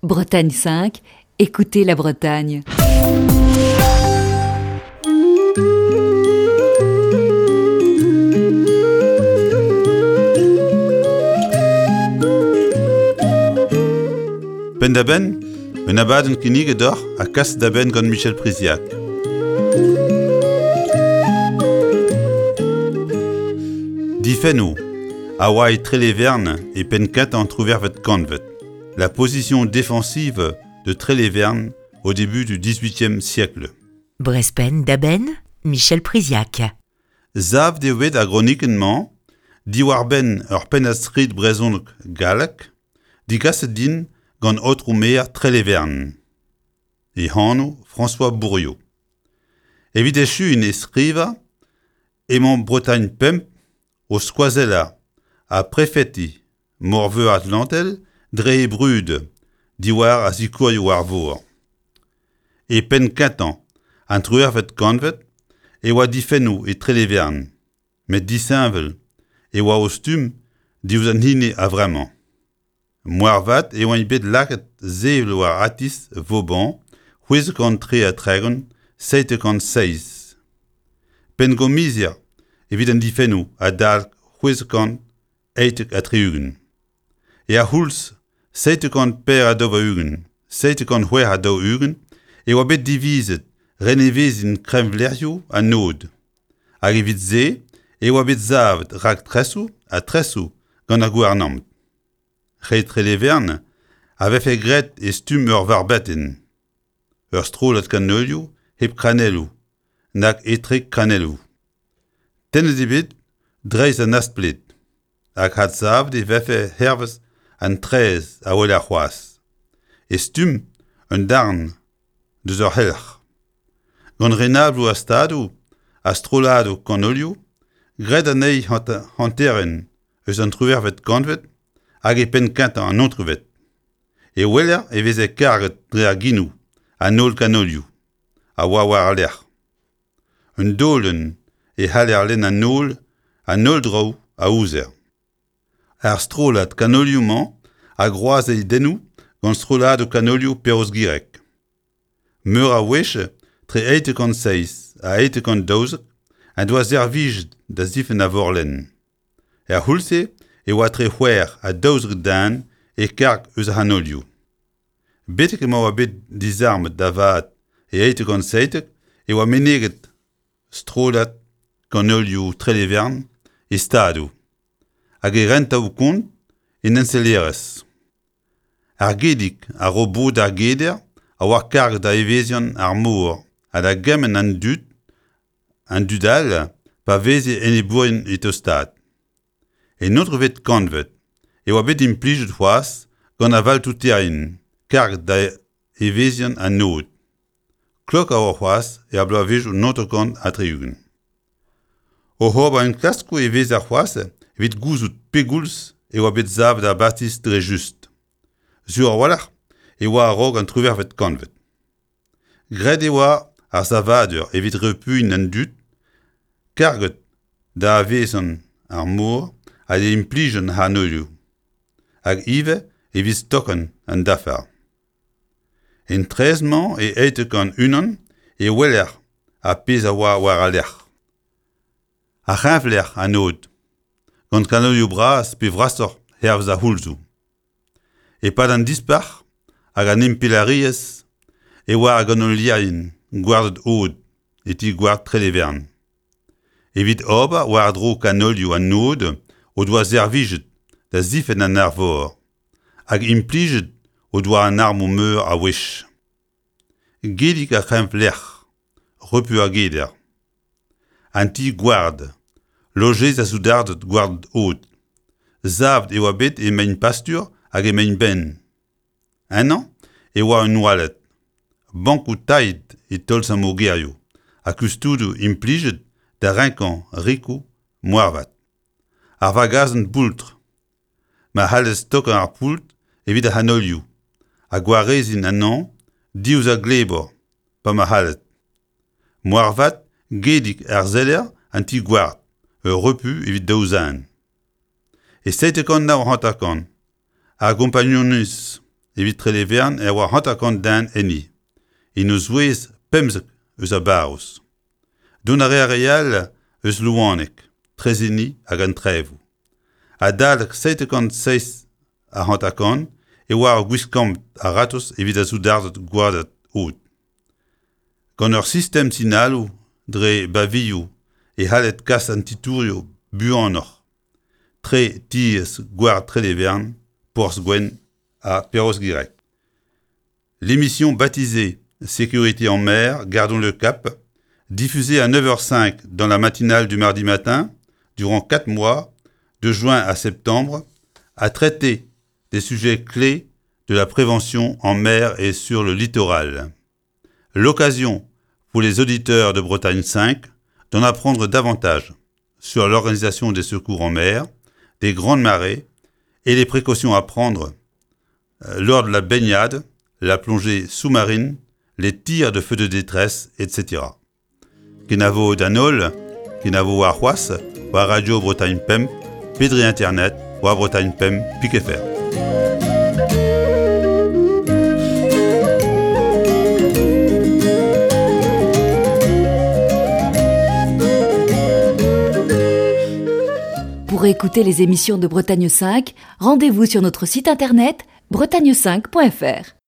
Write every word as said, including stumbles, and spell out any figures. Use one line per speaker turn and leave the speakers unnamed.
Bretagne cinq, écoutez la Bretagne.
Penn-da-benn, un abadenn kinniget deoc'h ha kas da benn gant Michel Priziac. Difennoù a oa e Trelevern e penn-kentañ an triwec'hvet kantved. La position défensive de Trélévern au début du dix-huitième siècle.
Brezh Penn-da-Benn, Michel Priziac.
Savet eo bet ar gronikenn-mañ diwar-benn ur pennad-skrid brezhonek gallek digaset din gant aotrou maer Trelevern. E anv François Bourriot. Evit echuiñ e skrivañ emañ Bretagne pemp o skoazellañ ha prefeti Morveur Atlantel dre he brud diwar ar sikourioù war vor. E penn-kentañ an triwec'hvet kantved e oa difennoù e Trelevern, met disheñvel e oa o stumm diouzh an hini a-vremañ. Moarvat e oant bet lakaet sevel war atiz Vauban c'hwezek kant tri ha tregont seitek kant seizh. Penngomizier evit an difennoù adal c'hwezek kant eitek ha tri-ugent. E ar c'houlz seitek kant per ha daou-ugent, seitek kant c'hwec'h ha daou-ugent e oa bet divizet renevezin kreñvlec'hioù an aod. Hag evit se e oa bet savet raktresoù ha tresoù gant ar gouarnamant. Re Trelevern a vefe graet e stumm ur varbetenn. Ur strollad kanolioù hep kranelloù, nag etre kranelloù. Tennet eo bet dreist an aspled, hag adsavet e vefe hervez an traezh a weler c'hoazh. E stumm un darn deus ur c'helc'h. Gant renabloù ar stadoù ha strolladoù kanolioù, graet anezhi hanterenn eus an triwec'hvet kantved hag e penn-kentañ an naontekvet. E weler e veze karget dre ar genoù an holl kanolioù a oa war al lec'h. Un daolenn e c'haller lenn an holl an holl draoù a ouzer. Ar strollad kanolioù-mañ a groaz e dennoù gant strolladoù kanolioù Perroz-Gireg. Meur a wech tre eitek kant seizh ha eitek kant daouzek en doa servijet da zifenn ar vorlenn. Er c'houlz-se e oa tre c'hwec'h ha daouzek den e karg eus ar c'hanolioù. Betek emañ oa bet dizarmet da vat e eitek kant seitek e oa meneget strollad kanolioù Trelevern e stadoù hag e rentaoù-kont en ensellerezh. Ar Gedig a ro bod d'ar geder a oa karg da evezhiañ ar mor ha da gemenn an dud an dud all pa veze enebourien e tostaat. En naontekvet kantved e oa bet implijet c'hoazh gant ar valtouterien karg da evezhiañ an aod. Klok a oa c'hoazh er bloavezhioù naontek kant ha tri-ugent. Oc'h ober enklaskoù e vezer c'hoazh evit gouzout pegoulz e oa bet savet ar bastis dre just. Sur a-walc'h e oa a-raok an triwec'hvet kantved. Graet e oa ar savadur evit repuiñ an dud karget da evezhiañ ar mor ha da implij an c'hanolioù, hag ivez evit stokañ an dafar. En traezh-mañ e eitek kant unan e weler ar pezh a oa war al lec'h. Ar c'hreñvlec'h an aod, gant kanolioù bras pe vrasoc'h hervez ar c'houlzoù. E-pad an Dispac'h hag an Impalaeriezh e oa ar ganolierien gwarded aod e ti gward Trelevern. Evit ober war-dro kanolioù an aod o doa servijet da zifenn an arvor hag implijet o doa an armoù meur a wech. Gedig ar c'hreñvlec'h, repu ar geder. An ti gward, lojeiz ar soudarded gwarded aod. Savet e oa bet e mein-pastur hag e mein-ben. Ennañ e oa un oaled, bankoù tailhet e tolz ar mogerioù ha kustudoù implijet da renkañ rikoù moarvat. Ar vagazenn boultr, ma c'hallez stokañ ar poultr evit ar c'hanolioù ha gwareziñ anezhañ diouzh ar glebor pa ma c'halled. Moarvat gedig ar seller an ti gward, ur repu evit daou zen. E seitek kant nav hanter-kant, ar gompagnunezh evit Trelevern e oa hanter-kant den enni, en o zouez pemzek eus a barroz. Dont a rea re all eus Louaneg, Trezeni hag an Trevoù. Adalek seitek-kant seizh ha hanter-kant e oa ur gwiskamp a-ratozh evit ar soudarded gwarded aod. Gant ur sistem sinaloù dre bavioù e c'halled kas an titourioù buanoc'h, tre tiez gward Trelevern, Porzh-Gwenn ha Perroz-Gireg. L'émission baptisée Sécurité en mer, gardons le cap, diffusée à neuf heures cinq dans la matinale du mardi matin, durant quatre mois, de juin à septembre, a traité des sujets clés de la prévention en mer et sur le littoral. L'occasion pour les auditeurs de Bretagne cinq d'en apprendre davantage sur l'organisation des secours en mer, des grandes marées et les précautions à prendre lors de la baignade, la plongée sous-marine, les tirs de feux de détresse, et cetera. Kenavo d'an holl, kenavo ar c'hoazh, war Radio Bretagne Pemp, pedri Internet, war Bretagne Pemp, pik F R.
Pour écouter les émissions de Bretagne cinq, rendez-vous sur notre site internet bretagne cinq point F R.